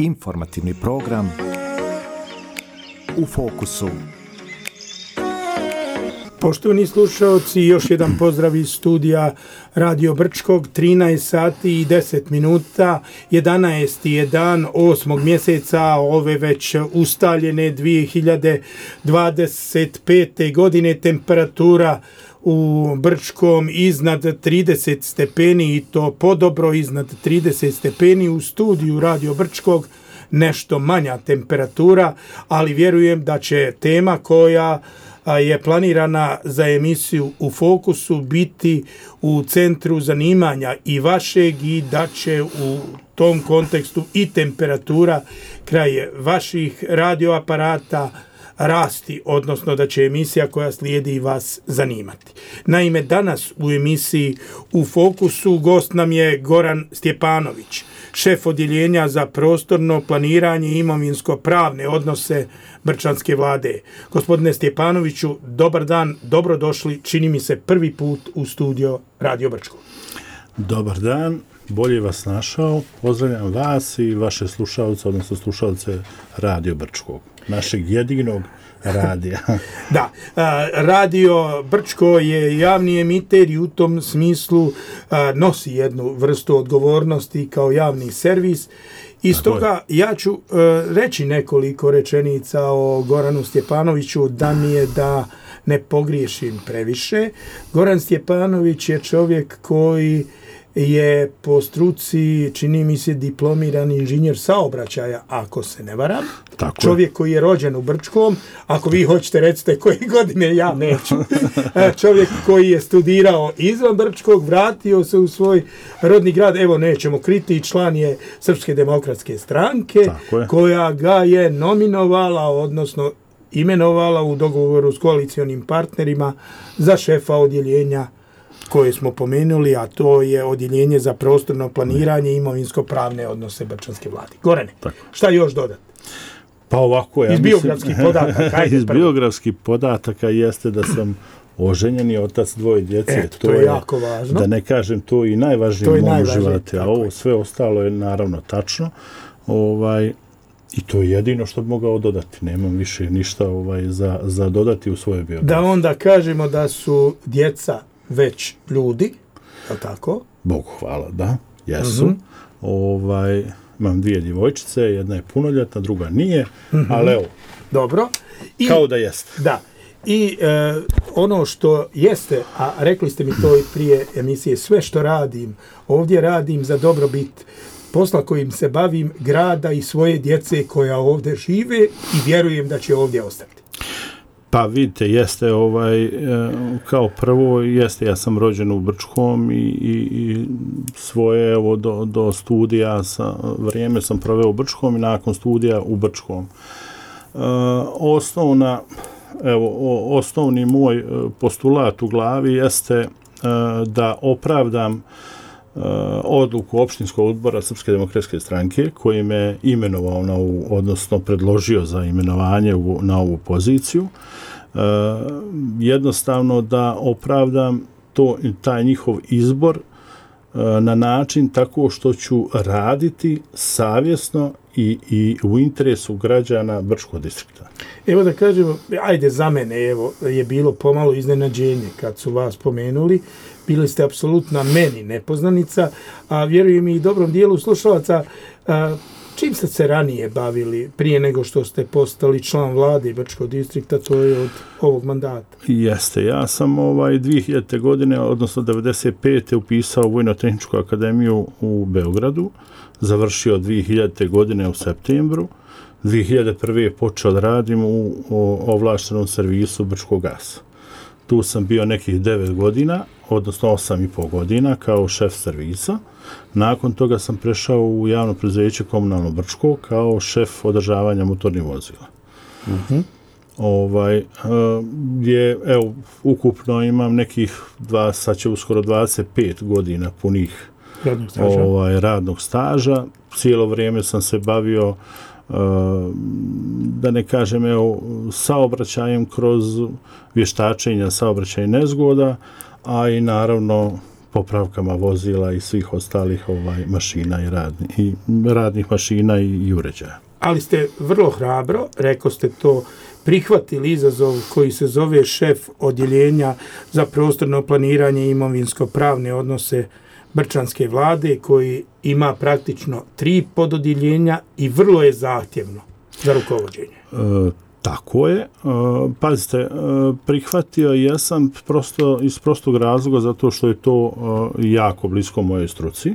Informativni program U fokusu. Poštovani slušaoci, još jedan pozdrav iz studija Radio Brčkog, 13 sati i 10 minuta, 11. je dan 8. mjeseca ove već ustaljene 2025. godine, temperatura u Brčkom iznad 30 stepeni i to podobro iznad 30 stepeni, u studiju Radio Brčkog nešto manja temperatura, ali vjerujem da će tema koja je planirana za emisiju U fokusu biti u centru zanimanja i vašeg i da će u tom kontekstu i temperatura kraj vaših radioaparata rasti, odnosno da će emisija koja slijedi vas zanimati. Naime, danas u emisiji U fokusu gost nam je Goran Stjepanović, šef odjeljenja za prostorno planiranje i imovinsko-pravne odnose Brčanske vlade. Gospodine Stjepanoviću, dobar dan, dobrodošli, čini mi se prvi put u studio Radio Brčko. Dobar dan, bolje vas našao, pozdravljam vas i vaše slušalce, odnosno slušalce Radio Brčkog, našeg jedinog radija. Da, Radio Brčko je javni emiter i u tom smislu nosi jednu vrstu odgovornosti kao javni servis. I stoga ja ću reći nekoliko rečenica o Goranu Stjepanoviću da mi je da ne pogriješim previše. Goran Stjepanović je čovjek koji je po struci, čini mi se, diplomirani inženjer saobraćaja, ako se ne varam. Tako čovjek koji je rođen u Brčkom, ako vi hoćete recite koje godine, ja neću. Čovjek koji je studirao izvan Brčkog, vratio se u svoj rodni grad, evo nećemo kriti, član je Srpske demokratske stranke, koja ga je nominovala, odnosno imenovala u dogovoru s koalicionim partnerima za šefa odjeljenja koje smo pomenuli, a to je odjeljenje za prostorno planiranje i imovinsko-pravne odnose Brčanske vlade. Gorane, šta još dodati? Pa ovako, ja iz biografskih podataka. Iz biografskih podataka jeste da sam oženjeni otac dvoje djece. To je jako važno. Da ne kažem, to i najvažnije u mom životu. A ovo sve ostalo je naravno tačno. I to je jedino što bi mogao dodati. Nemam više ništa za dodati u svojoj biografiji. Da onda kažemo da su djeca već ljudi, je li tako? Bogu hvala, da, jesu. Imam dvije djevojčice, jedna je punoljetna, druga nije, ali evo, dobro. Kao da jeste. Da, i ono što jeste, a rekli ste mi to i prije emisije, sve što radim, ovdje radim za dobrobit posla kojim se bavim, grada i svoje djece koja ovdje žive i vjerujem da će ovdje ostati. Pa vidite, jeste kao prvo, jeste, ja sam rođen u Brčkom i svoje do studija vrijeme sam proveo u Brčkom i nakon studija u Brčkom. Osnovni moj postulat u glavi jeste da opravdam odluku opštinskog odbora Srpske demokratske stranke koji me imenovao odnosno predložio za imenovanje na ovu poziciju. Jednostavno da opravdam taj njihov izbor na način tako što ću raditi savjesno i u interesu građana Brčkog distrikta. Evo da kažemo, ajde za mene, je bilo pomalo iznenađenje kad su vas pomenuli. Bili ste apsolutna meni nepoznanica, a vjerujem i dobrom dijelu slušalaca. Čim ste se ranije bavili prije nego što ste postali član vlade Brčkog distrikta, to je od ovog mandata? Jeste, ja sam 2000. godine, odnosno 1995. upisao Vojno-tehničku akademiju u Beogradu, završio 2000. godine u septembru, 2001. počeo da radim u ovlaštenom servisu Brčkog gasa. Tu sam bio nekih 9 godina, odnosno 8,5 godina kao šef servisa. Nakon toga sam prešao u javno preduzeće Komunalno Brčko kao šef održavanja motornih vozila. Ukupno imam nekih sad će uskoro 25 godina punih radnog staža. Cijelo vrijeme sam se bavio da ne kažem saobraćajem kroz vještačenja saobraćajnih nezgoda, a i naravno popravkama vozila i svih ostalih mašina i radnih mašina i uređaja. Ali ste vrlo hrabro, rekao ste to, prihvatili izazov koji se zove šef odjeljenja za prostorno planiranje i imovinsko-pravne odnose Brčanske vlade, koji ima praktično 3 pododjeljenja i vrlo je zahtjevno za rukovođenje. Tako je. Pazite, prihvatio jesam iz prostog razloga zato što je to jako blisko mojoj struci.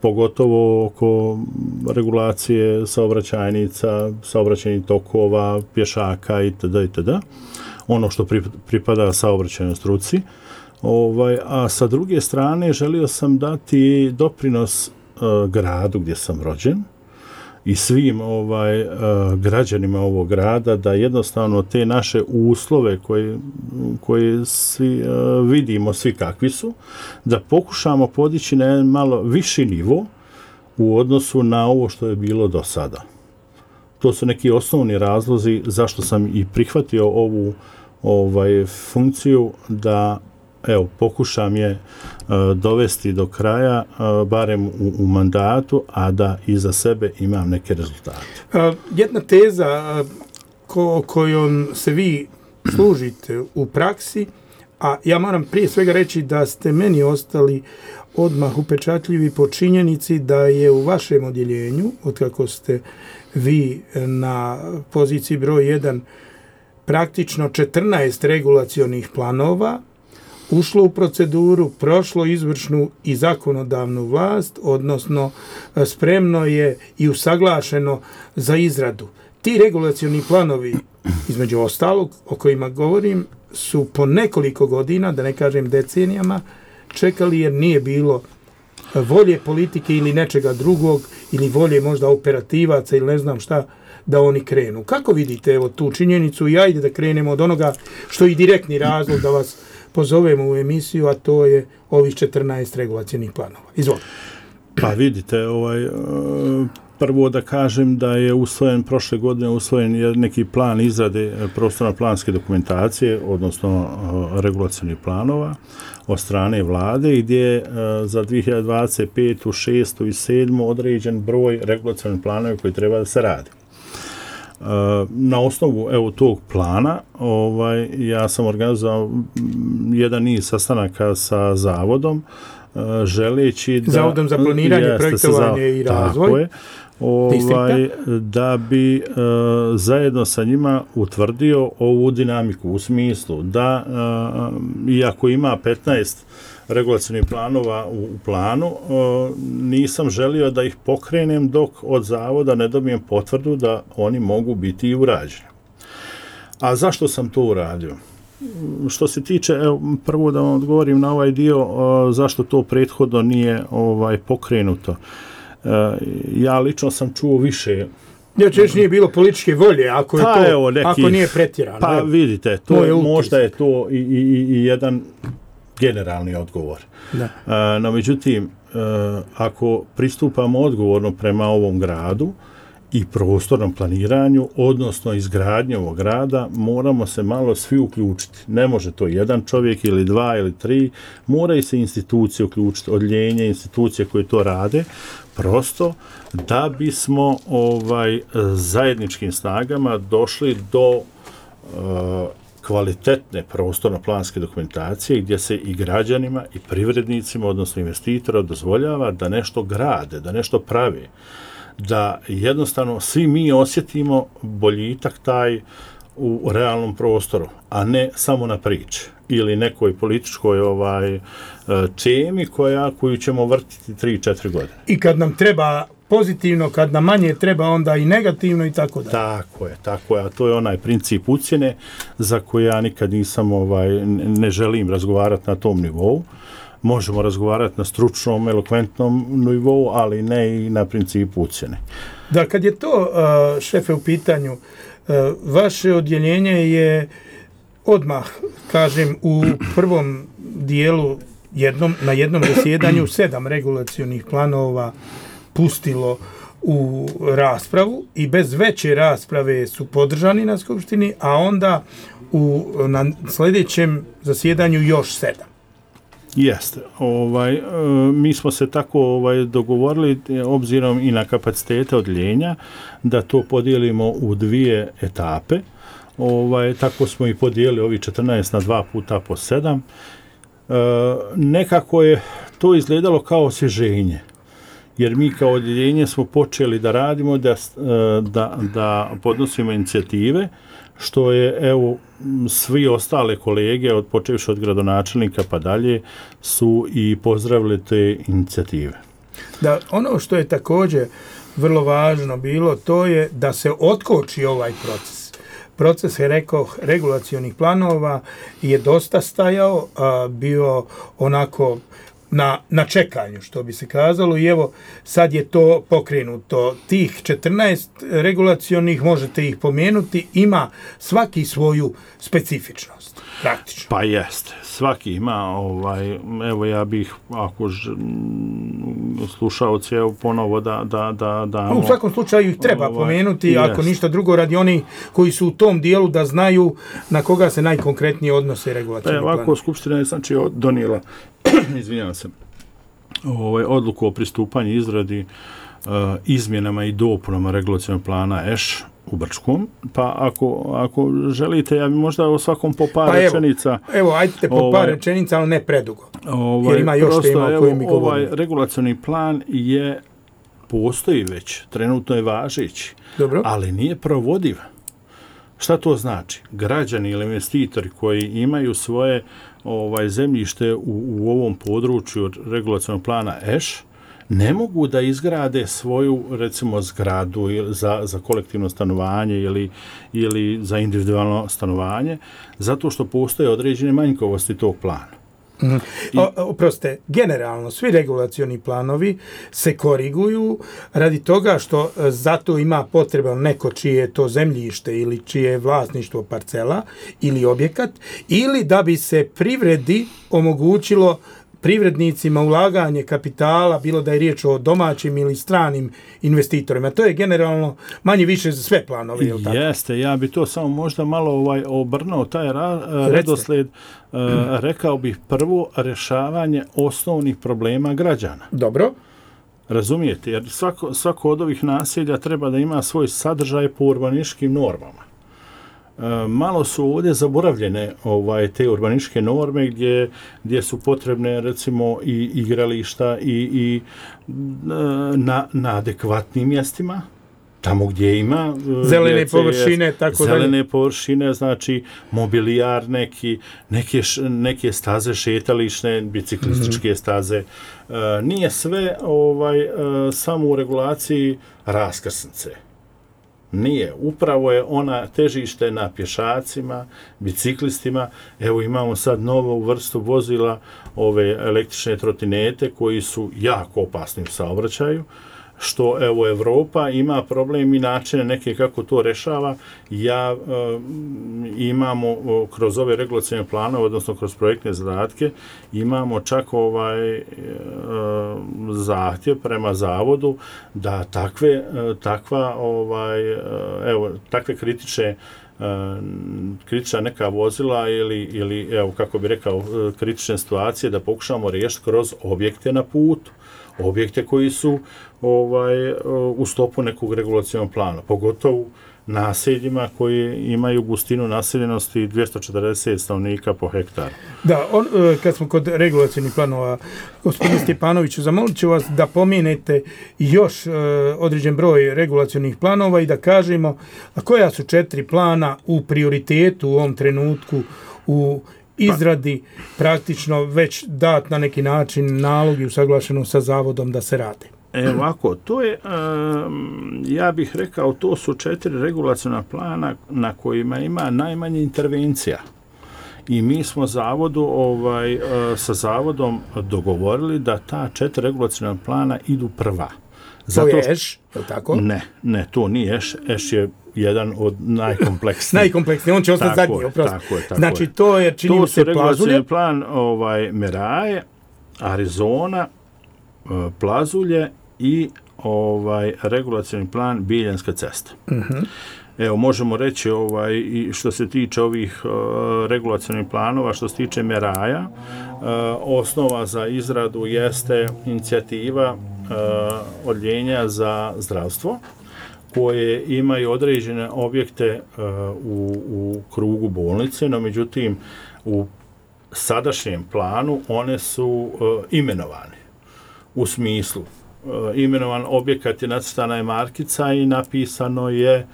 Pogotovo oko regulacije saobraćajnica, saobraćajnih tokova, pješaka itd. Ono što pripada saobraćajnoj struci. A sa druge strane želio sam dati doprinos gradu gdje sam rođen i svim građanima ovog grada, da jednostavno te naše uslove koje svi vidimo, svi kakvi su, da pokušamo podići na jedan malo viši nivo u odnosu na ovo što je bilo do sada. To su neki osnovni razlozi zašto sam i prihvatio ovu funkciju, da pokušam je dovesti do kraja, barem u mandatu, a da iza sebe imam neke rezultate. Jedna teza kojom se vi služite u praksi, a ja moram prije svega reći da ste meni ostali odmah upečatljivi po činjenici da je u vašem odjeljenju, otkako ste vi na poziciji broj 1, praktično 14 regulacionih planova ušlo u proceduru, prošlo izvršnu i zakonodavnu vlast, odnosno spremno je i usaglašeno za izradu. Ti regulacioni planovi, između ostalog, o kojima govorim, su po nekoliko godina, da ne kažem decenijama, čekali jer nije bilo volje politike ili nečega drugog, ili volje možda operativaca ili ne znam šta, da oni krenu. Kako vidite tu činjenicu i ajde da krenemo od onoga što je direktni razlog da vas pozovemo u emisiju, a to je ovih 14 regulacionih planova. Izvolite. Pa vidite, prvo da kažem da je prošle godine usvojen neki plan izrade prostorno-planske dokumentacije, odnosno regulacionih planova od strane vlade, gdje je za 2025. 6. i 7. određen broj regulacionih planova koji treba da se radi. Na osnovu tog plana ja sam organizovao jedan niz sastanaka sa zavodom, želeći da Zavodom za planiranje, projektovanje i razvoj, da bi zajedno sa njima utvrdio ovu dinamiku u smislu da iako ima 15 regulacionih planova u planu, nisam želio da ih pokrenem dok od zavoda ne dobijem potvrdu da oni mogu biti i urađeni. A zašto sam to uradio? Što se tiče, prvo da vam odgovorim na ovaj dio, zašto to prethodno nije pokrenuto. Ja lično sam čuo više. Nije bilo političke volje, ako nije pretjerano. Pa vidite, možda je to i jedan generalni odgovor. No, međutim, ako pristupamo odgovorno prema ovom gradu i prostornom planiranju, odnosno izgradnju ovog grada, moramo se malo svi uključiti. Ne može to jedan čovjek ili 2 ili 3, moraju se institucije uključiti, odjeljenje, institucije koje to rade, prosto da bismo zajedničkim snagama došli do kvalitetne prostorno-planske dokumentacije gdje se i građanima i privrednicima, odnosno investitora, dozvoljava da nešto grade, da nešto prave, da jednostavno svi mi osjetimo boljitak taj u realnom prostoru, a ne samo na priči ili nekoj političkoj temi koju ćemo vrtiti 3-4 godine. I kad nam treba pozitivno, kad nam manje treba, onda i negativno i tako da. Tako je, a to je onaj princip ucjene za koji ja nikad nisam, ne želim razgovarati na tom nivou. Možemo razgovarati na stručnom, elokventnom nivou, ali ne i na principu ucjene. Da, kad je to, šefe, u pitanju, vaše odjeljenje je odmah, kažem, u prvom dijelu na jednom zasjedanju 7 regulacionih planova pustilo u raspravu i bez veće rasprave su podržani na skupštini, a onda na sljedećem zasjedanju još 7. Jeste. Mi smo se tako dogovorili obzirom i na kapacitete odljenja da to podijelimo u 2 etape. Tako smo i podijelili ovi 14 na 2 puta po 7. Nekako je to izgledalo kao osvježenje. Jer mi kao odjeljenje smo počeli da radimo, da podnosimo inicijative, što je, evo, svi ostale kolege, počevši od gradonačelnika pa dalje, su i pozdravili te inicijative. Da, ono što je također vrlo važno bilo, to je da se otkoči ovaj proces. Proces, je rekao, regulacionih planova je dosta stajao, bio onako na čekanju, što bi se kazalo, i evo sad je to pokrenuto. Tih 14 regulacionih, možete ih pomenuti, ima svaki svoju specifičnost, praktično. Pa jeste, svaki ima, evo ja bih, ako slušaoci, evo ponovo da u svakom slučaju ih treba pomenuti, ako ništa drugo, radi oni koji su u tom dijelu da znaju na koga se najkonkretnije odnose regulacijni plan. Ovako, Skupština je znači donijela izvinjavam se, odluku o pristupanju izradi izmjenama i dopunama regulacionog plana EŠ u Brčkom, pa ako želite, ja bi možda o svakom po par rečenica. Evo, ajte po par rečenica, ali ne predugo. Jer ima još tema o kojim mi govorimo. Ovaj regulacioni plan postoji već, trenutno je važeći, ali nije provodiv. Šta to znači? Građani ili investitori koji imaju svoje zemljište u ovom području regulacionog plana EŠ ne mogu da izgrade svoju, recimo, zgradu za kolektivno stanovanje ili za individualno stanovanje, zato što postoje određene manjkavosti tog plana. Oprostite, generalno svi regulacioni planovi se koriguju radi toga što zato ima potreba neko čije je to zemljište ili čije je vlasništvo parcela ili objekat, ili da bi se privredi omogućilo privrednicima ulaganje kapitala, bilo da je riječ o domaćim ili stranim investitorima. To je generalno manje više za sve planove, je li tako? Jeste, ja bi to samo možda malo obrnuo taj redosled. Rekao bih prvo rješavanje osnovnih problema građana. Dobro. Razumijete, jer svako od ovih naselja treba da ima svoj sadržaj po urbanističkim normama. Malo su ovdje zaboravljene te urbanističke norme gdje su potrebne, recimo, i igrališta i na adekvatnim mjestima, tamo gdje ima zelene površine, tako dalje. Zelene površine, znači mobilijar neke staze šetališne, biciklističke staze. Nije sve samo u regulaciji raskrsnice. Nije. Upravo je ona težište na pješacima, biciklistima. Evo imamo sad novu vrstu vozila, ove električne trotinete koji su jako opasni u saobraćaju, što evo Evropa ima problem i načine neke kako to rešava. Imamo kroz ove regulacijne planove, odnosno kroz projektne zadatke, imamo čak zahtjev prema zavodu da takve kritična neka vozila ili evo kako bi rekao kritične situacije da pokušamo riješiti kroz objekte na putu. Objekte koji su u sklopu nekog regulacionog plana, pogotovo naseljima koji imaju gustinu naseljenosti 240 stanovnika po hektaru. Da, kad smo kod regulacionih planova, gospodine Stjepanoviću, zamolit ću vas da pomenete još određen broj regulacionih planova i da kažemo koja su 4 plana u prioritetu u ovom trenutku u izradi, praktično već dat na neki način nalog i usaglašeno sa zavodom da se rade. Ovako, to je, ja bih rekao, to su 4 regulaciona plana na kojima ima najmanje intervencija. I mi smo sa zavodom dogovorili da ta 4 regulaciona plana idu prva. To je EŠ, je li tako? Ne, to nije EŠ. EŠ je jedan od najkompleksnijih. Najkompleksniji, on će ostati zadnji, oprosti. Znači, to je, čini mi se, Plazulje. To su regulacijni plan Meraje, Arizona, Plazulje i regulacijni plan Biljanska cesta. Evo, možemo reći i što se tiče ovih regulacionih planova, što se tiče meraja, osnova za izradu jeste inicijativa odjeljenja za zdravstvo, koje imaju određene objekte u krugu bolnice, no međutim u sadašnjem planu one su imenovane. U smislu, imenovan objekat je, nacrtana je markica i napisano je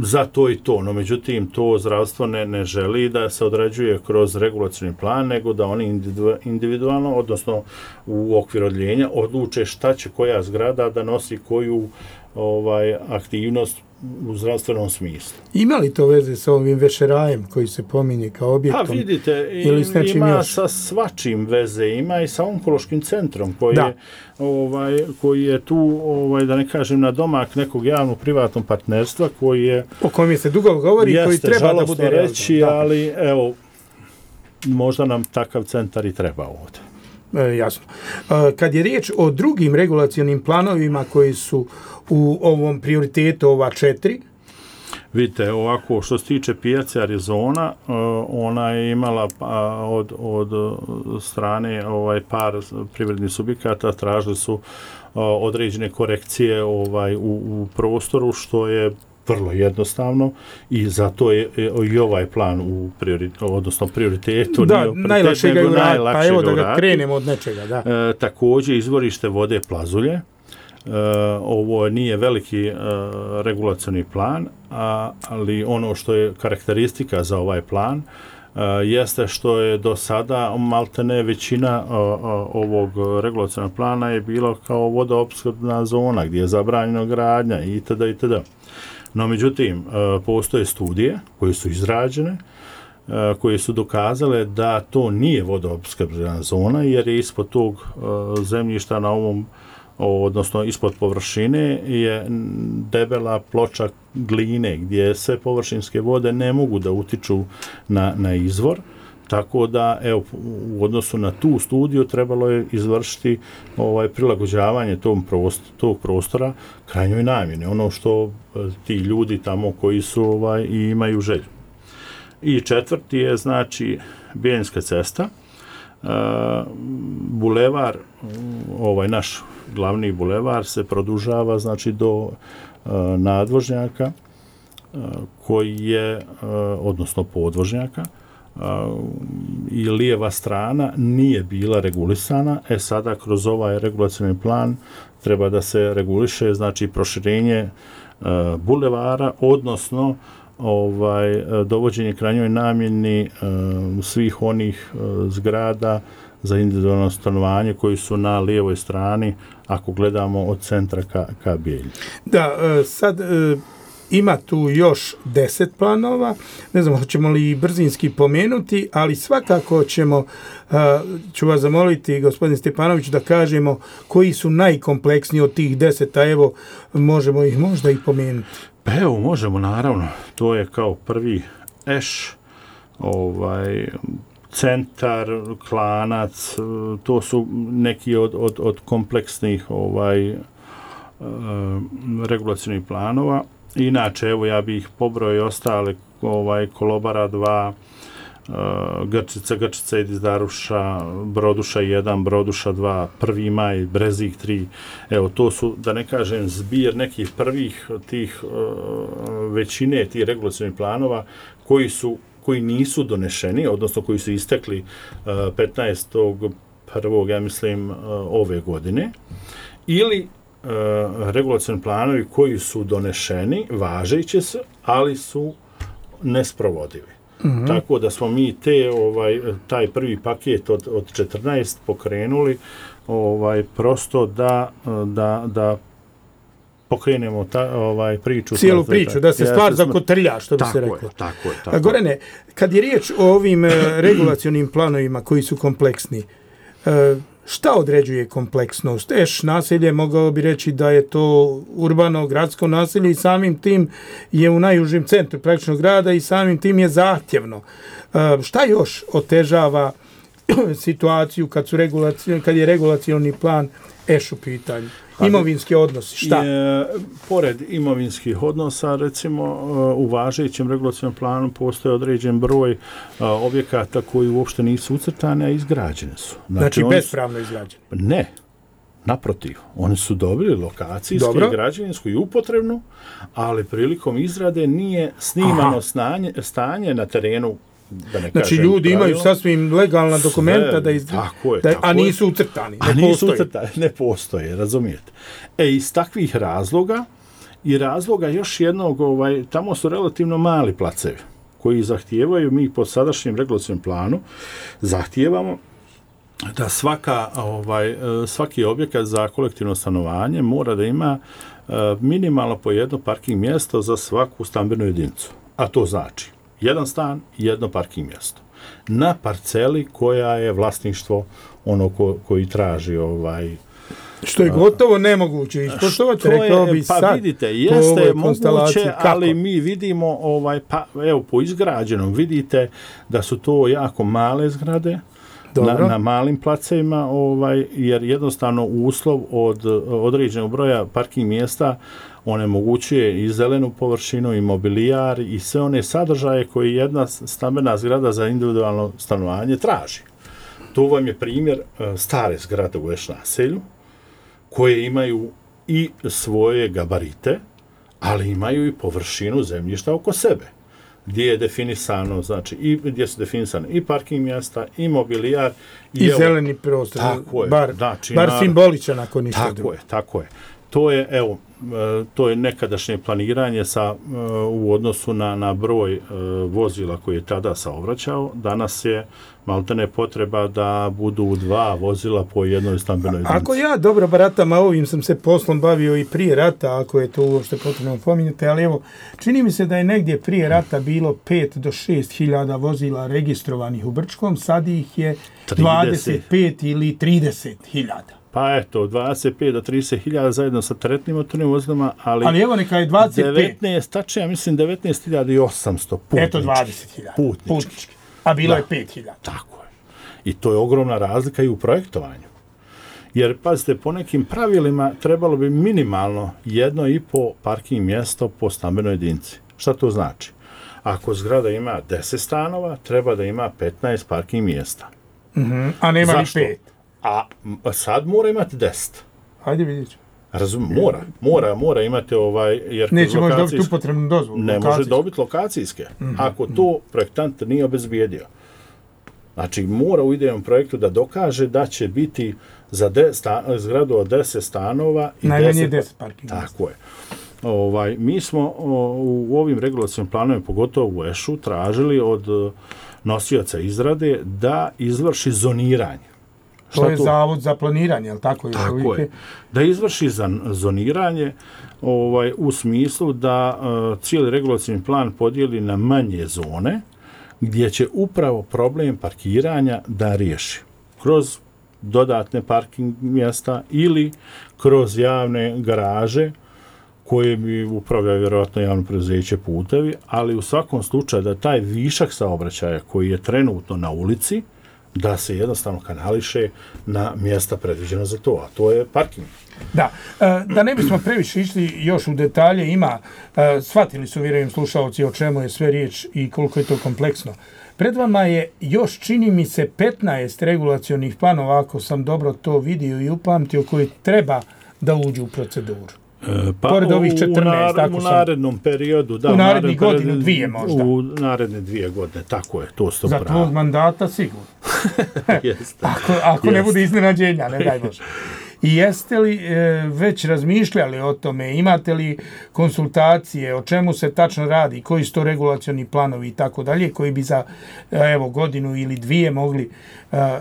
za to i to, no međutim to zdravstvo ne želi da se određuje kroz regulacioni plan, nego da oni individualno, odnosno u okviru odjeljenja, odluče šta će koja zgrada da nosi koju aktivnost u zdravstvenom smislu. Ima li to veze sa ovim vešerajem koji se pominje kao objektom? Pa vidite, ima sa svačim veze, ima i sa onkološkim centrom koji je tu, da ne kažem, na domak nekog javno-privatnog partnerstva koji je... O kojem se dugo govori, koji treba da bude reći, ali evo, možda nam takav centar i treba ovdje. Jasno. Kad je riječ o drugim regulacionim planovima koji su u ovom prioritetu, ova 4? Vidite, ovako, što se tiče pijace Arizona, ona je imala od strane par privrednih subjekata, tražili su određene korekcije u prostoru, što je vrlo jednostavno i zato je i ovaj plan u prioritetu. Da, najlakše ga je uraditi, pa evo da ga krenemo od nečega. Da. Također izvorište vode Plazulje. Ovo nije veliki regulacioni plan, ali ono što je karakteristika za ovaj plan jeste što je do sada maltene većina ovog regulacionog plana je bilo kao vodoopskrbna zona gdje je zabranjeno gradnja itd. No, međutim, postoje studije koje su izrađene, koje su dokazale da to nije vodoopskrbna zona, jer je ispod tog zemljišta na ovom, odnosno ispod površine, je debela ploča gline gdje se površinske vode ne mogu da utiču na izvor. Tako da, evo, u odnosu na tu studiju trebalo je izvršiti prilagođavanje tog prostora krajnjoj namjeni, ono što ti ljudi tamo koji su i imaju želju. I četvrti je, znači, Bijeljinska cesta, bulevar, naš glavni bulevar se produžava, znači, do nadvožnjaka koji je, odnosno podvožnjaka, i lijeva strana nije bila regulisana, sada kroz ovaj regulacioni plan treba da se reguliše, znači, proširenje bulevara, odnosno dovođenje krajnjoj namjeni svih onih zgrada za individualno stanovanje koji su na lijevoj strani, ako gledamo od centra ka Bijelju. Da, sad ima tu još 10 planova, ne znam hoćemo li brzinski pomenuti, ali svakako ću vas zamoliti, gospodin Stepanović, da kažemo koji su najkompleksniji od tih 10, a evo možemo ih možda i pomenuti. Pa evo, možemo, naravno. To je kao prvi centar, Klanac, to su neki od kompleksnih regulacionih planova. Inače, evo, ja bih pobrojio ostale, Kolobara 2, Grčica i Dizdaruša, Broduša 1, Broduša 2, Prvi maj, Brezik 3. Evo, to su, da ne kažem, zbir nekih prvih tih većine tih regulacionih planova koji nisu donešeni, odnosno koji su istekli 15.1. ja mislim ove godine, ili regulacioni planovi koji su donešeni, važeći se, ali su nesprovodivi. Mm-hmm. Tako da smo mi taj prvi paket od 14 pokrenuli prosto da pokrenemo priču. Cijelu priču, da se stvar zakotrlja, što bi se reklo. Tako je. Gorane, kad je riječ o ovim regulacionim planovima koji su kompleksni, šta određuje kompleksnost? Naselje, mogao bi reći da je to urbano, gradsko naselje i samim tim je u najužem centru praktično grada i samim tim je zahtjevno. Šta još otežava situaciju kad je regulacioni plan u pitanju? Imovinski odnosi, šta? Pored imovinskih odnosa, recimo, u važećem regulacionom planu postoje određen broj objekata koji uopšte nisu ucrtani, a izgrađene su. Znači bespravno izgrađeni? Ne. Naprotiv, oni su dobili lokacijsku, građevinsku i upotrebnu, ali prilikom izrade nije snimano stanje na terenu. Da ne znači ljudi imaju sasvim legalna dokumenta da a nisu ucrtani. Ne postoje, razumijete. Iz takvih razloga i razloga još jednog, tamo su relativno mali placevi koji zahtijevaju, mi po sadašnjem regulacionom planu zahtijevamo da svaki objekat za kolektivno stanovanje mora da ima minimalno po jedno parking mjesto za svaku stambenu jedinicu. A to znači jedan stan i jedno parking mjesto. Na parceli koja je vlasništvo koji traži što je gotovo nemoguće ispoštovati, rekao bi sad. Pa vidite, jeste moguće, ali mi vidimo, po izgrađenom vidite da su to jako male zgrade, na malim placevima, jer jednostavno uslov od određenog broja parking mjesta onemogućuje i zelenu površinu, i mobilijar, i sve one sadržaje koje jedna stambena zgrada za individualno stanovanje traži. To vam je primjer stare zgrade u naselju, koje imaju i svoje gabarite, ali imaju i površinu zemljišta oko sebe, gdje je definisano, znači, i gdje su definisane i parking mjesta, i mobilijar, i zeleni prostor, bar simboličan ako ništa drugo. Tako je. To je nekadašnje planiranje u odnosu na broj vozila koji je tada saobraćao. Danas je maltene potreba da budu 2 vozila po jednoj stambenoj jedinici. Ako ja dobro baratam, a ovim sam se poslom bavio i prije rata, ako je to uopšte potrebno pominjati, ali evo, čini mi se da je negdje prije rata bilo 5 do 6 hiljada vozila registrovanih u Brčkom, sad ih je 25 ili 30 hiljada. Pa eto, 25 do 30 hiljada zajedno sa teretnim motornim vozilima, ali evo neka je 25. 19, tačno ja mislim 19.800 putnički. Eto 20.000 putnički. A bilo je 5.000. Tako je. I to je ogromna razlika i u projektovanju. Jer, pazite, po nekim pravilima trebalo bi minimalno 1,5 parking mjesto po stambenoj jedinici. Šta to znači? Ako zgrada ima 10 stanova, treba da ima 15 parking mjesta. A nema ni 5. A sad mora imati 10. Hajde vidjet ću. Mora imati jer neće može dobiti upotrebnu dozvolu. Ne može dobiti lokacijske. Ako to projektant nije obezbijedio. Znači, mora u idejnom projektu da dokaže da će biti za zgradu od 10 stanova i najmanje 10 parking. Tako je. Mi smo u ovim regulacijnim planovima, pogotovo u EŠU, tražili od nosioca izrade da izvrši zoniranje. To je zavod za planiranje, ali tako je? Tako je. Da izvrši zoniranje u smislu da cijeli regulacijni plan podijeli na manje zone, gdje će upravo problem parkiranja da riješi. Kroz dodatne parking mjesta ili kroz javne garaže koje bi upravljaju vjerojatno javno preduzeće Putevi, ali u svakom slučaju da taj višak saobraćaja koji je trenutno na ulici, da se jednostavno kanališe na mjesta predviđena za to, a to je parking. Da ne bismo previše išli još u detalje, shvatili su, vjerujem, slušalci o čemu je sve riječ i koliko je to kompleksno. Pred vama je još, čini mi se, 15 regulacionih planova, ako sam dobro to vidio i upamtio, koji treba da uđu u proceduru. Pored ovih 14, u narednom periodu, u narednih godinu, 2 možda. U naredne 2 godine, tako je, to sto pravo. Za tvojeg mandata sigurno. Ako ne bude iznenađenja, ne daj Bože. I jeste li već razmišljali o tome, imate li konsultacije, o čemu se tačno radi, koji su to regulacioni planovi i tako dalje, koji bi za godinu ili 2 mogli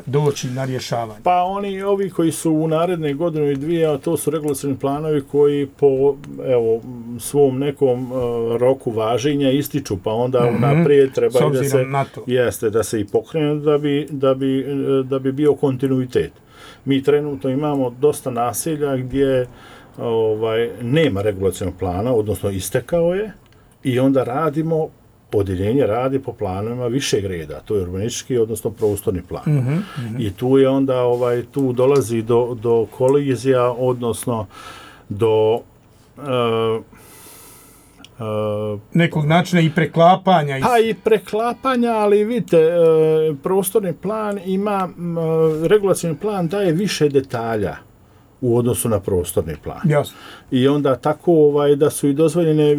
doći na rješavanje? Pa ovi koji su u naredne godinu i 2, a to su regulacioni planovi koji po svom nekom roku važenja ističu, pa onda naprijed treba da se i pokrene da bi bio kontinuitet. Mi trenutno imamo dosta naselja gdje nema regulacionog plana, odnosno istekao je, i onda radimo odjeljenje radi po planovima višeg reda, to je urbanistički, odnosno prostorni plan. I tu je onda, tu dolazi do kolizija, odnosno do nekog načina i preklapanja. Pa i preklapanja, ali vidite, prostorni plan ima, regulacioni plan daje više detalja u odnosu na prostorni plan. Jasno. I onda tako da su i dozvoljene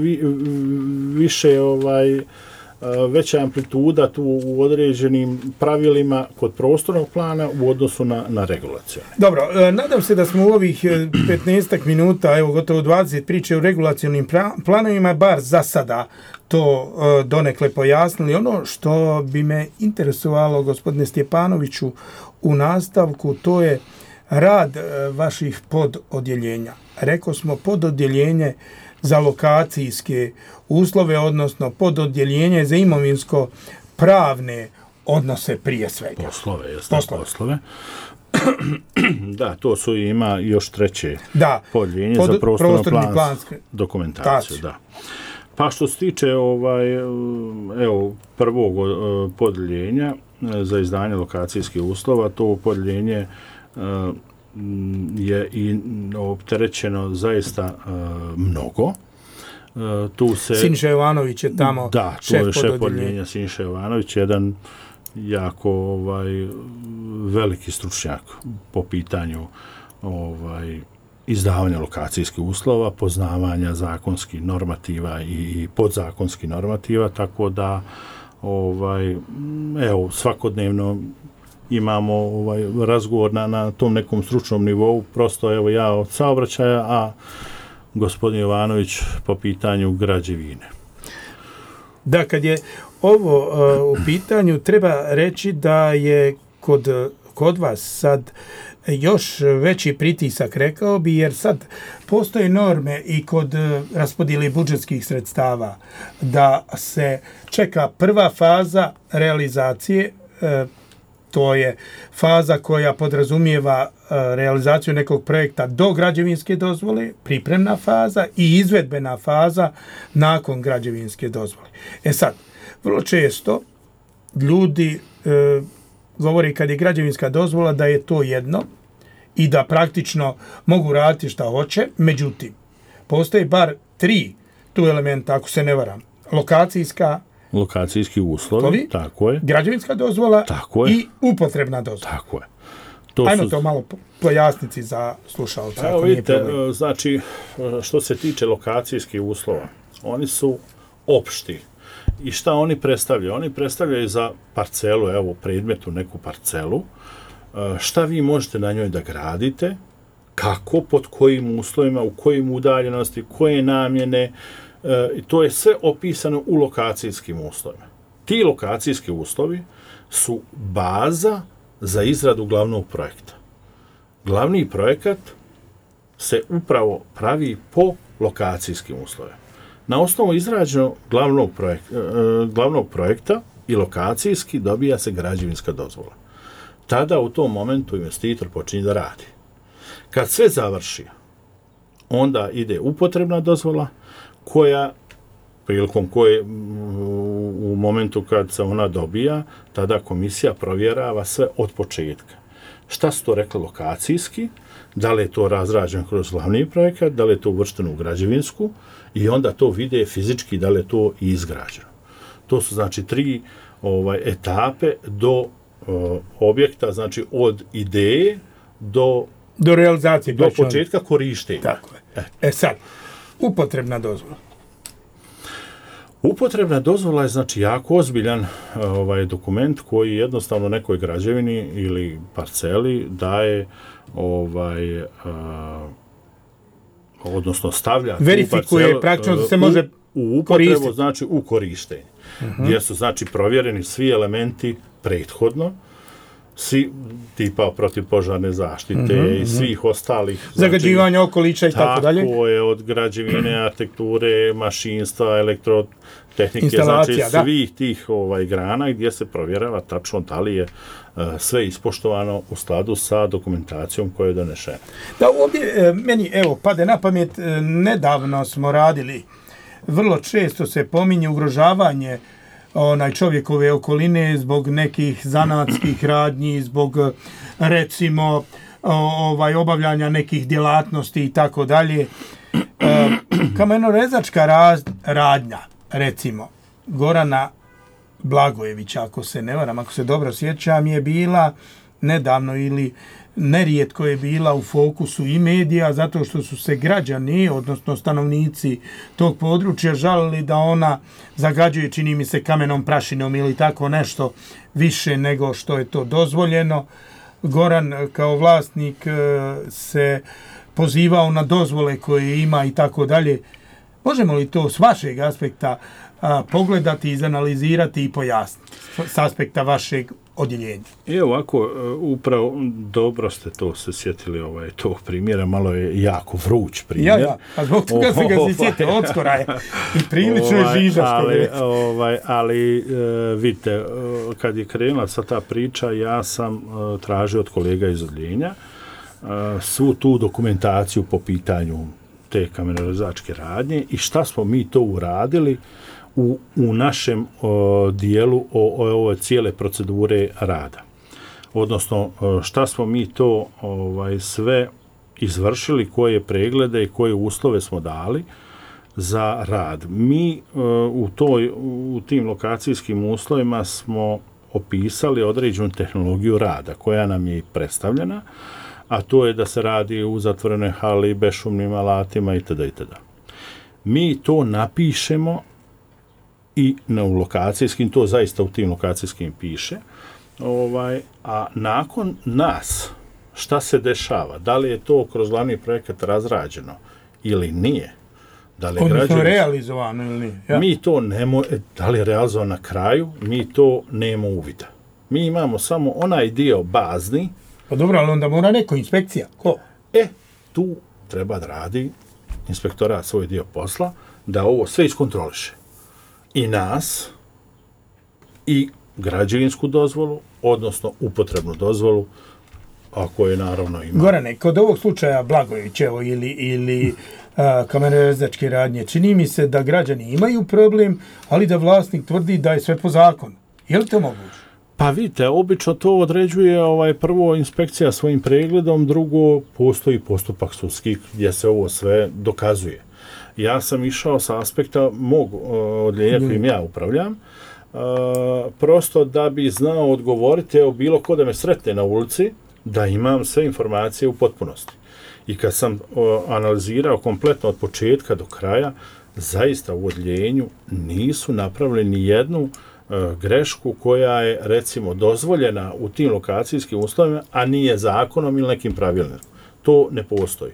više veća amplituda tu u određenim pravilima kod prostornog plana u odnosu na regulacioni. Dobro, nadam se da smo u ovih 15 minuta, evo gotovo 20 priče o regulacionim planovima, bar za sada to donekle pojasnili. Ono što bi me interesovalo, gospodine Stjepanoviću, u nastavku, to je rad vaših pododjeljenja. Rekao smo pododjeljenje za lokacijske uslove, odnosno pododjeljenje za imovinsko-pravne odnose prije svega. Poslove. Da, to su ima još treće podjeljenje za prostorno-plansku dokumentaciju. Da. Pa što se tiče prvog podjeljenja za izdanje lokacijskih uslova, to podjeljenje je i opterećeno zaista mnogo. Tu se Siniša Jovanović je tamo šef podjeljenja. Siniša Jovanović, jedan jako veliki stručnjak po pitanju izdavanja lokacijskih uslova, poznavanja zakonskih normativa i podzakonskih normativa, tako da svakodnevno imamo razgovor na tom nekom stručnom nivou, prosto ja od saobraćaja, a gospodin Jovanović po pitanju građevine. Da, kad je ovo u pitanju, treba reći da je kod vas sad još veći pritisak, rekao bi, jer sad postoje norme i kod raspodjele budžetskih sredstava da se čeka prva faza realizacije, to je faza koja podrazumijeva realizaciju nekog projekta do građevinske dozvole, pripremna faza i izvedbena faza nakon građevinske dozvole. Sad, vrlo često ljudi govori kad je građevinska dozvola da je to jedno i da praktično mogu raditi šta hoće, međutim, postoje bar 3 tu elementa, ako se ne varam. Lokacijski uslovi, tako je. Građevinska dozvola i upotrebna dozvola. Tako je. Ajmo to malo pojasniti za slušalca. Evo vidite, znači, što se tiče lokacijskih uslova, oni su opšti. I šta oni predstavljaju? Oni predstavljaju za parcelu, evo, predmetu, neku parcelu, šta vi možete na njoj da gradite, kako, pod kojim uslovima, u kojim udaljenosti, koje namjene, to je sve opisano u lokacijskim uslovima. Ti lokacijski uslovi su baza za izradu glavnog projekta. Glavni projekat se upravo pravi po lokacijskim uslovima. Na osnovu izrađenog glavnog projekta i lokacijski dobija se građevinska dozvola. Tada u tom momentu investitor počinje da radi. Kad sve završi, onda ide upotrebna dozvola, prilikom koje u momentu kad se ona dobija, tada komisija provjerava sve od početka. Šta su to rekli lokacijski, da li je to razrađeno kroz glavni projekat, da li je to uvršteno u građevinsku i onda to vide fizički da li je to i izgrađeno. To su znači 3 etape do objekta, znači od ideje do realizacije, do početka korištenja. Tako je. Sad, upotrebna dozvola. Upotrebna dozvola je znači jako ozbiljan dokument koji jednostavno nekoj građevini ili parceli daje odnosno stavlja verifikuje praktično da se može u upotrebu, znači u korištenje. Gdje su znači provjereni svi elementi prethodno, svi tipa protivpožarne zaštite i svih ostalih zagađivanja okoliša i tako dalje. Tako je, od građevine, arhitekture, mašinstva, elektrotehnike, znači svih tih grana gdje se provjerava tačno da li je sve ispoštovano u skladu sa dokumentacijom koja je donešena. Da, ovdje meni pade na pamet, nedavno smo radili, vrlo često se pominje ugrožavanje čovjekove okoline, zbog nekih zanatskih radnji, zbog recimo obavljanja nekih djelatnosti i tako dalje. Kamenorezačka radnja, recimo, Gorana Blagojevića, ako se ne varam, ako se dobro sjećam, je bila nedavno ili nerijetko je bila u fokusu i medija, zato što su se građani, odnosno stanovnici tog područja, žalili da ona zagađuje, čini mi se, kamenom prašinom ili tako nešto više nego što je to dozvoljeno. Goran kao vlasnik se pozivao na dozvole koje ima i tako dalje. Možemo li to s vašeg aspekta pogledati, izanalizirati i pojasniti s aspekta vašeg odjeljenja? Evo ovako, upravo dobro ste to se sjetili tog primjera, malo je jako vruć primjer. Ja, a zbog toga se ga se sjetio, odskora je i prilično je žiža, što je. Ali vidite, kad je krenula sa ta priča, ja sam tražio od kolega iz odjeljenja svu tu dokumentaciju po pitanju te kamenorezačke radnje i šta smo mi to uradili u našem dijelu ove cijele procedure rada. Odnosno, šta smo mi to sve izvršili, koje preglede i koje uslove smo dali za rad. Mi u tim lokacijskim uslovima smo opisali određenu tehnologiju rada koja nam je predstavljena, a to je da se radi u zatvorenoj hali, bešumnim alatima itd. Mi to napišemo i u lokacijskim, to zaista u tim lokacijskim piše, a nakon nas, šta se dešava? Da li je to kroz glavni projekat razrađeno ili nije? Da li je odnosno realizovano ili nije? Ja. Mi to da li je realizovano na kraju, mi to nemamo uvida. Mi imamo samo onaj dio bazni. Pa dobro, ali onda mora neko inspekcija. Ko? Tu treba da radi inspektorat svoj dio posla, da ovo sve iskontroliše. I nas, i građevinsku dozvolu, odnosno upotrebnu dozvolu, ako je naravno ima. Gorane, kod ovog slučaja Blagojevićevo ili kamenorezačke radnje, čini mi se da građani imaju problem, ali da vlasnik tvrdi da je sve po zakonu. Je li to moguće? Pa vidite, obično to određuje prvo inspekcija svojim pregledom, drugo postoji postupak sudski gdje se ovo sve dokazuje. Ja sam išao sa aspekta mog odjeljenja kojim ja upravljam, prosto da bi znao odgovoriti, bilo ko da me sretne na ulici, da imam sve informacije u potpunosti. I kad sam analizirao kompletno od početka do kraja, zaista u odjeljenju nisu napravili ni jednu grešku koja je, recimo, dozvoljena u tim lokacijskim uslovima, a nije zakonom ili nekim pravilnikom. To ne postoji.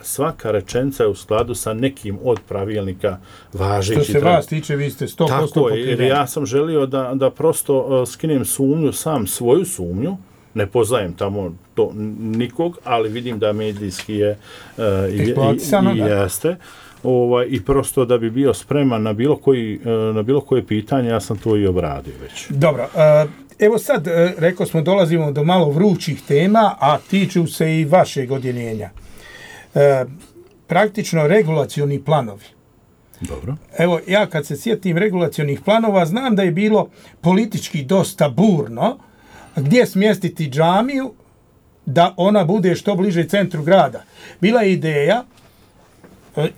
Svaka rečenica je u skladu sa nekim od pravilnika važećih. Što se vas tiče, vi ste 100% pokriveni. Tako je, jer ja sam želio da prosto skinem sumnju, sam svoju sumnju, ne poznajem tamo to nikog, ali vidim da medijski je i jeste. I prosto da bi bio spreman na bilo koje pitanje, ja sam to i obradio već. Dobro, evo sad, rekao smo, dolazimo do malo vrućih tema, a tiču se i vašeg odjeljenja. Praktično regulacioni planovi. Dobro. Evo, ja kad se sjetim regulacionih planova, znam da je bilo politički dosta burno, gdje smjestiti džamiju da ona bude što bliže centru grada. Bila je ideja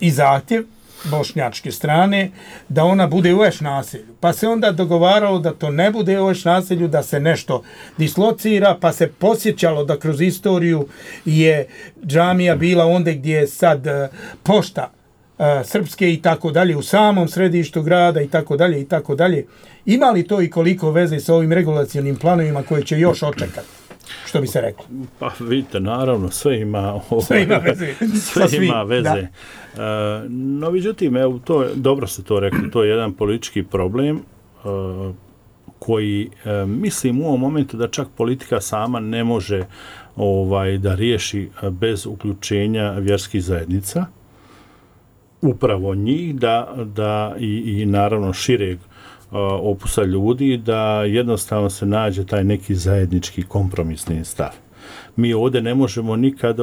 i zahtjev bošnjačke strane da ona bude u Eš naselju. Pa se onda dogovaralo da to ne bude u Eš naselju, da se nešto dislocira, pa se posjećalo da kroz istoriju je džamija bila ondje gdje je sad pošta srpske i tako dalje, u samom središtu grada i tako dalje i tako dalje. Ima li to i koliko veze sa ovim regulacionim planovima koje će još očekati? Što bi se reklo? Pa vidite, naravno, sve ima veze. Sve ima veze. No, međutim, evo, dobro ste to rekli, to je jedan politički problem koji mislim u ovom momentu da čak politika sama ne može da riješi bez uključenja vjerskih zajednica. Upravo njih da i naravno šireg opusa ljudi, da jednostavno se nađe taj neki zajednički kompromisni stav. mi ovdje ne možemo nikad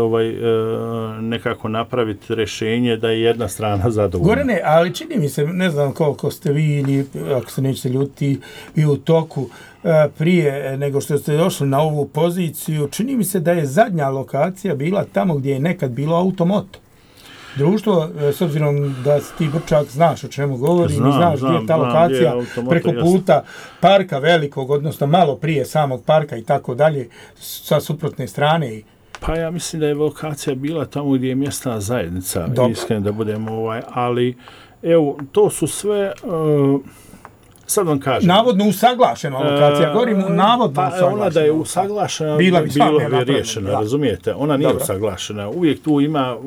nekako napraviti rješenje da je jedna strana zadovoljna. Gorane, ali čini mi se, ne znam koliko ste vi ili ako se nećete ljuti i u toku prije nego što ste došli na ovu poziciju, čini mi se da je zadnja lokacija bila tamo gdje je nekad bilo Automoto. Društvo, s obzirom da si ti Brčak, znaš o čemu govorim, znaš gdje je ta lokacija preko puta parka velikog, odnosno malo prije samog parka i tako dalje, sa suprotne strane. Pa ja mislim da je lokacija bila tamo gdje je mjesna zajednica, iskreno da budemo ali evo, to su sve... Sad vam kažem. Navodno usaglašena lokacija, govorim navodno usaglašena. Ona da je usaglašena, bilo bi riješena, razumijete? Ona nije usaglašena. Uvijek tu ima,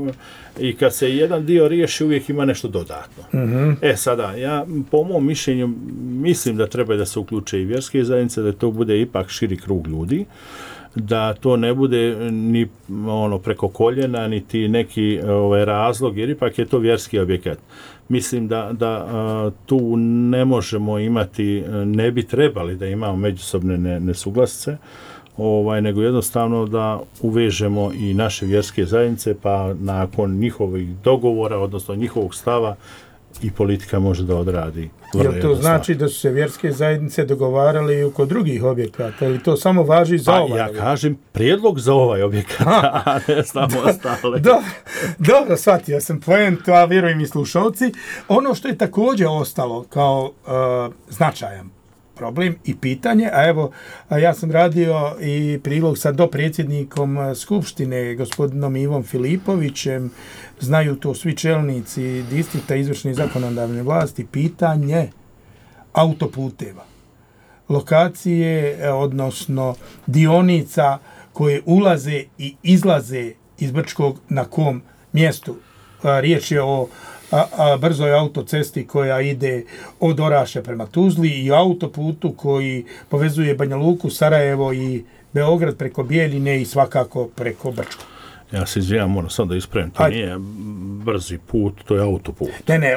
i kad se jedan dio riješi, uvijek ima nešto dodatno. Sada, ja po mom mišljenju mislim da treba da se uključe i vjerske zajednice, da to bude ipak širi krug ljudi, da to ne bude ni preko koljena, niti neki razlog, jer ipak je to vjerski objekat. Mislim da tu ne možemo imati, ne bi trebali da imamo međusobne nesuglasice, nego jednostavno da uvežemo i naše vjerske zajednice, pa nakon njihovih dogovora, odnosno njihovog stava, i politika može da odradi. Jel to znači da su se vjerske zajednice dogovarali i oko drugih objekata, ili to samo važi za ovaj objekat? Ja kažem prijedlog za ovaj objekat, a ne samo ostale. Dobro, shvatio sam poentu, a vjerujem i slušalci. Ono što je također ostalo kao značajan problem i pitanje, a evo, ja sam radio i prilog sa dopredsjednikom Skupštine, gospodinom Ivom Filipovićem, znaju to svi čelnici distrikta izvršne i zakonodavne vlasti, pitanje autoputeva. Lokacije, odnosno dionica koje ulaze i izlaze iz Brčkog na kom mjestu. Riječ je o brzoj autocesti koja ide od Oraše prema Tuzli i autoputu koji povezuje Banja Luku, Sarajevo i Beograd preko Bijeljine i svakako preko Brčkog. Ja se izvijam, moram sad da ispravim, to nije brzi put, to je autoput. Ne,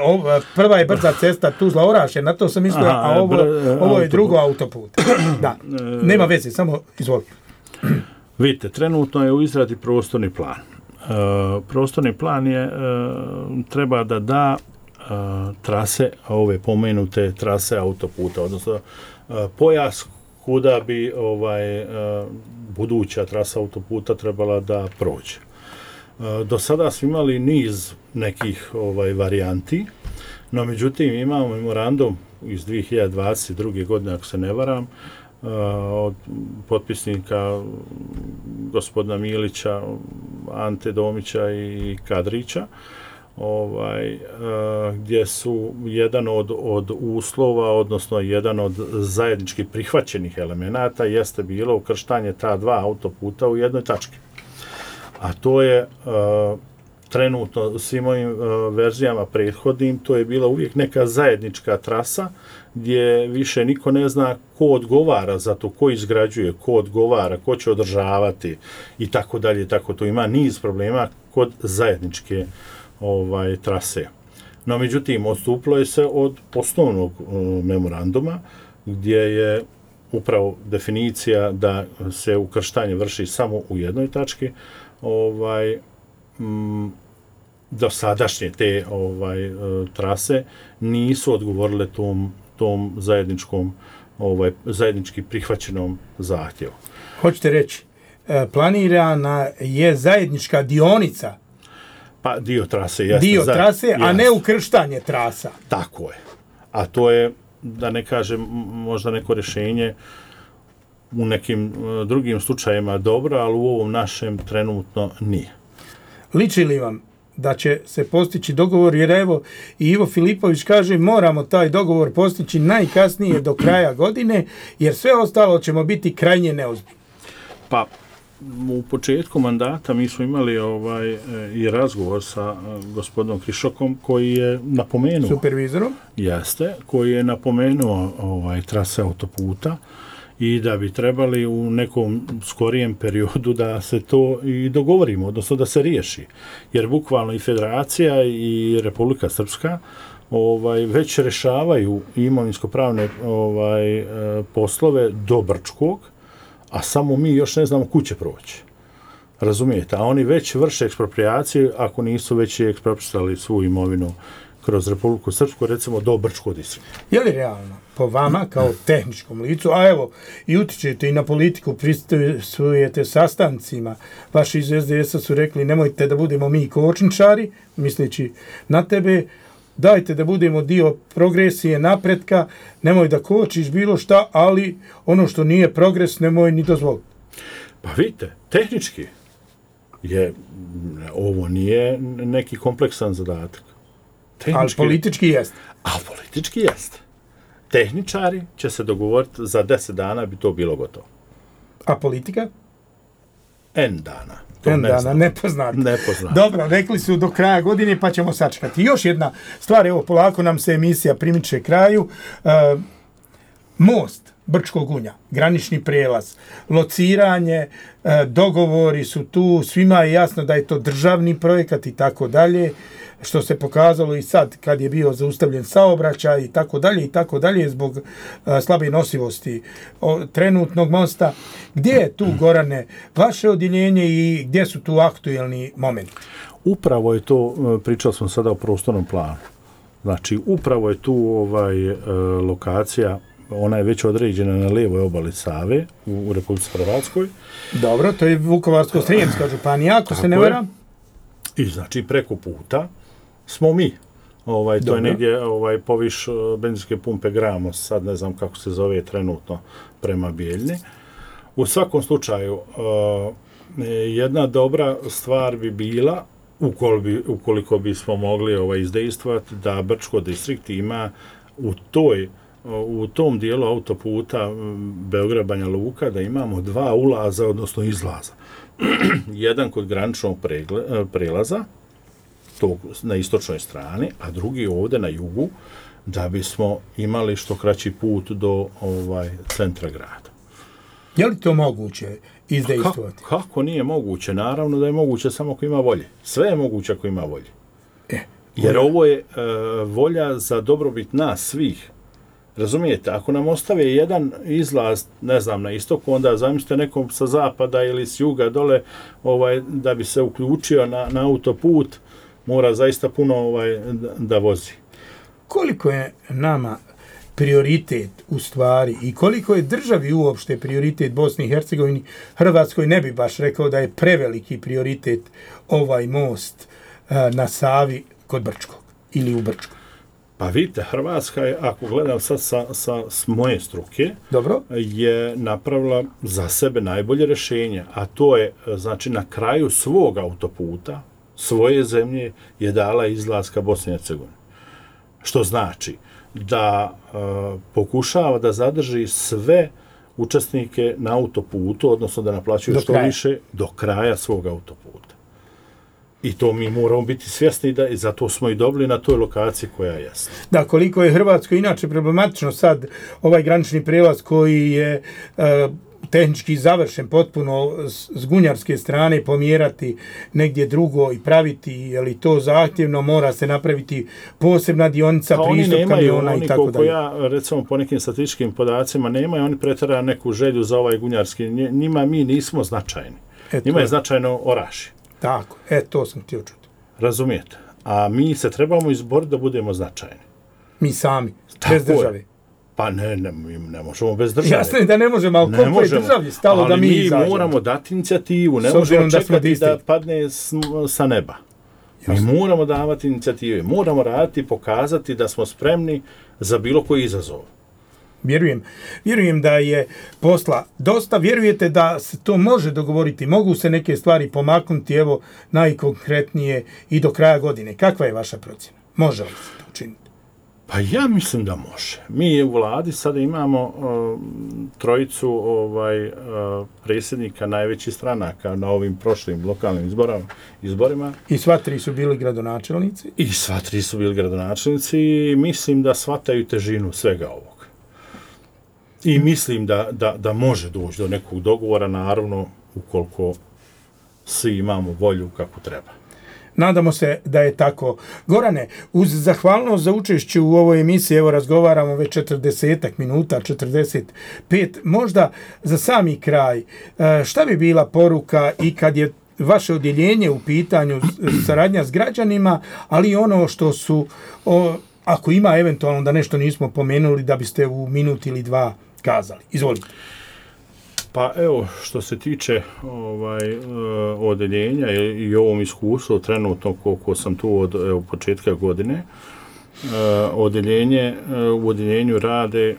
prva je brza cesta Tuzla-Oraše, na to sam mislio, a ovo je drugo autoput. Da, nema veze, samo izvoli. Vidite, trenutno je u izradi prostorni plan. Prostorni plan je treba da da trase, ove pomenute trase autoputa, odnosno pojas kuda bi buduća trasa autoputa trebala da prođe. Do sada smo imali niz nekih varijanti, no međutim imamo memorandum iz 2022. godine, ako se ne varam, od potpisnika gospodina Milića, Ante Domića i Kadrića, gdje su jedan od uslova, odnosno jedan od zajednički prihvaćenih elemenata jeste bilo ukrštanje ta dva autoputa u jednoj tački. A to je trenutno svim ovim verzijama prethodnim, to je bila uvijek neka zajednička trasa gdje više niko ne zna ko odgovara za to, ko izgrađuje, ko odgovara, ko će održavati i tako dalje. Tako to ima niz problema kod zajedničke trase. No, međutim, odstupilo je se od osnovnog memoranduma gdje je upravo definicija da se ukrštanje vrši samo u jednoj tački. Dosadašnje te trase nisu odgovorile tom zajednički prihvaćenom zahtjevu. Hoćete reći, planirana je zajednička dionica? Pa dio trase, jasno. Dio trase, a ne ukrštanje trasa. Tako je. A to je, da ne kažem, možda neko rješenje u nekim drugim slučajima dobro, ali u ovom našem trenutno nije. Liči li vam da će se postići dogovor, jer evo i Ivo Filipović kaže moramo taj dogovor postići najkasnije do kraja godine, jer sve ostalo ćemo biti krajnje neozbiljni? Pa, u početku mandata mi smo imali i razgovor sa gospodinom Krišokom koji je napomenuo... Supervizorom? Jeste, koji je napomenuo trase autoputa i da bi trebali u nekom skorijem periodu da se to i dogovorimo, odnosno da se riješi. Jer bukvalno i Federacija i Republika Srpska već rješavaju imovinsko-pravne poslove do Brčkog, a samo mi još ne znamo kud će proći. Razumijete? A oni već vrše ekspropriaciju ako nisu već eksproprisali svu imovinu kroz Republiku Srpsku, recimo do Brčkog distrikta. Je li realno po vama kao tehničkom licu, a evo i utičete i na politiku, pristojujete sastancima, vaši iz SDS-a su rekli nemojte da budemo mi kočničari, misleći na tebe, dajte da budemo dio progresije, napretka, nemoj da kočiš bilo šta, ali ono što nije progres nemoj ni dozvoliti. Pa vidite, tehnički ovo nije neki kompleksan zadatak. Ali politički jest. Ali politički jest. Tehničari će se dogovoriti za 10 dana bi to bilo gotovo. A politika? N dana. Nepoznato. Dobro, rekli su do kraja godine pa ćemo sačekati. Još jedna stvar, evo polako nam se emisija primiče kraju. Most Brčkog Gunja, granični prijelaz, lociranje, dogovori su tu, svima je jasno da je to državni projekat i tako dalje, što se pokazalo i sad kad je bio zaustavljen saobraćaj i tako dalje zbog slabe nosivosti trenutnog mosta. Gdje je tu, Gorane, vaše odjeljenje i gdje su tu aktuelni momenti? Upravo je to, pričali smo sada o prostornom planu. Znači, upravo je tu lokacija, ona je već određena na lijevoj obali Save u Republici Hrvatskoj. Dobro, to je Vukovarsko-srijemska županija, ako se ne varam. I znači preko puta smo mi. To je negdje poviš benzinske pumpe Gramos, sad ne znam kako se zove trenutno prema Bijeljni. U svakom slučaju, jedna dobra stvar bi bila, ukoliko bismo mogli izdejstvati, da Brčko distrikt ima u tom dijelu autoputa Beograd-Banja Luka da imamo 2 ulaza, odnosno izlaza. Jedan kod graničnog prelaza, tog na istočnoj strani, a drugi ovdje na jugu, da bismo imali što kraći put do centra grada. Je li to moguće izdejstvovati? Kako nije moguće? Naravno da je moguće samo ako ima volje. Sve je moguće ako ima volje. Jer ovo je volja za dobrobit nas svih. Razumijete, ako nam ostave jedan izlaz, ne znam, na istoku, onda zamislite nekom sa zapada ili s juga dole, da bi se uključio na autoput, mora zaista puno da vozi. Koliko je nama prioritet u stvari i koliko je državi uopšte prioritet Bosni i Hercegovini, Hrvatskoj ne bi baš rekao da je preveliki prioritet ovaj most na Savi kod Brčkog ili u Brčkog? Pa vidite, Hrvatska je, ako gledam sad s moje struke, dobro, je napravila za sebe najbolje rješenje, a to je, znači, na kraju svog autoputa, svoje zemlje, je dala izlaz ka Bosni i Hercegovini. Što znači da pokušava da zadrži sve učesnike na autoputu, odnosno da naplaćuju što više do kraja svog autoputa. I to mi moramo biti svjesni i zato smo i dobili na toj lokaciji koja je jasna. Da, koliko je Hrvatsko inače problematično sad ovaj granični prijelaz koji je tehnički završen potpuno s gunjarske strane, pomjerati negdje drugo i praviti, je li to zahtjevno, mora se napraviti posebna dionica, pristup kamiona i tako dalje. Ja, recimo, po nekim statističkim podacima, nemaju oni pretjerano neku želju za ovaj gunjarski, njima mi nismo značajni. Njima je značajno Orašje. Tako, to sam htio čuti. Razumijete? A mi se trebamo izboriti da budemo značajni. Mi sami, bez države. Pa ne možemo bez države. Jasno je da ne možemo, ali koliko je državi stalo da mi izađemo. Ali mi moramo dati inicijativu, ne možemo čekati da padne sa neba. Jasno. Mi moramo davati inicijative, moramo raditi i pokazati da smo spremni za bilo koji izazov. Vjerujem da je posla dosta, vjerujete da se to može dogovoriti, mogu se neke stvari pomaknuti, evo najkonkretnije i do kraja godine. Kakva je vaša procjena? Može li se to učiniti? Pa ja mislim da može. Mi u vladi sada imamo trojicu predsjednika najvećih stranaka na ovim prošlim lokalnim izborima. I sva tri su bili gradonačelnici? I sva tri su bili gradonačelnici i mislim da shvataju težinu svega ovog. I mislim da može doći do nekog dogovora, naravno, ukoliko svi imamo volju kako treba. Nadamo se da je tako. Gorane, uz zahvalnost za učešću u ovoj emisiji, evo razgovaramo već 40 minuta, 45, možda za sami kraj, šta bi bila poruka i kad je vaše odjeljenje u pitanju saradnja s građanima, ali ono što su, ako ima eventualno da nešto nismo pomenuli, da biste u minut ili dva kazali. Izvolite. Pa evo, što se tiče odjeljenja i ovom iskustvu trenutno koliko sam tu od početka godine, u odjeljenju rade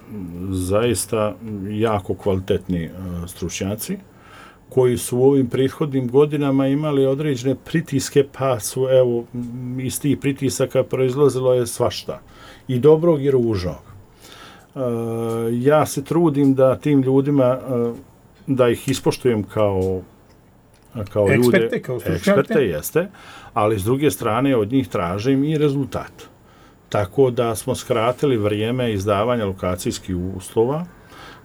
zaista jako kvalitetni stručnjaci koji su u ovim prethodnim godinama imali određene pritiske, pa su iz tih pritisaka proizlazilo je svašta, i dobrog i ružnog. Ja se trudim da tim ljudima da ih ispoštujem kao ljude, eksperte jeste, ali s druge strane od njih tražim i rezultat. Tako da smo skratili vrijeme izdavanja lokacijskih uslova.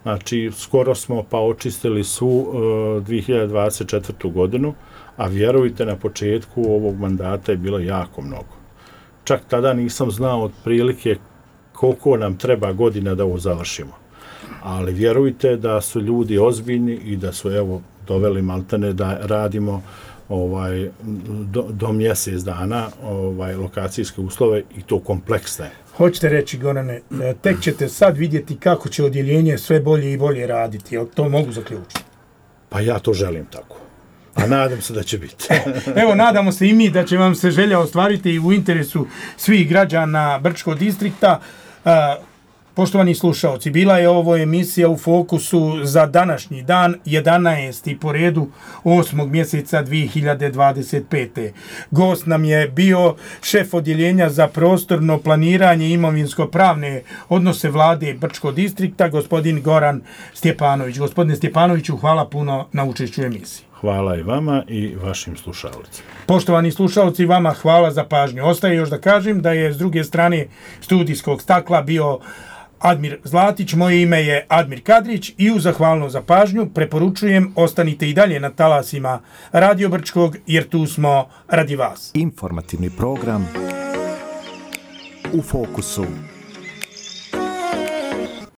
Znači, skoro smo pa očistili su 2024. godinu, a vjerujte, na početku ovog mandata je bilo jako mnogo. Čak tada nisam znao otprilike koliko nam treba godina da ovo završimo. Ali vjerujte da su ljudi ozbiljni i da su doveli maltene da radimo do mjesec dana lokacijske uslove, i to kompleksne. Hoćete reći, Gorane, tek ćete sad vidjeti kako će odjeljenje sve bolje i bolje raditi, jel to mogu zaključiti? Pa ja to želim tako. A nadam se da će biti. Evo, nadamo se i mi da će vam se želja ostvariti i u interesu svih građana Brčkog distrikta. Poštovani slušaoci, bila je ovo emisija u fokusu za današnji dan, 11. po redu 8. mjeseca 2025. Gost nam je bio šef odjeljenja za prostorno planiranje i imovinsko-pravne odnose vlade Brčkog distrikta, gospodin Goran Stjepanović. Gospodine Stjepanoviću, hvala puno na učešću u emisiji. Hvala i vama i vašim slušalcima. Poštovani slušalci, vama hvala za pažnju. Ostaje još da kažem da je s druge strane studijskog stakla bio Admir Zlatić, moje ime je Admir Kadrić i u zahvalnost za pažnju preporučujem ostanite i dalje na talasima Radio Brčkog, jer tu smo radi vas. Informativni program U fokusu.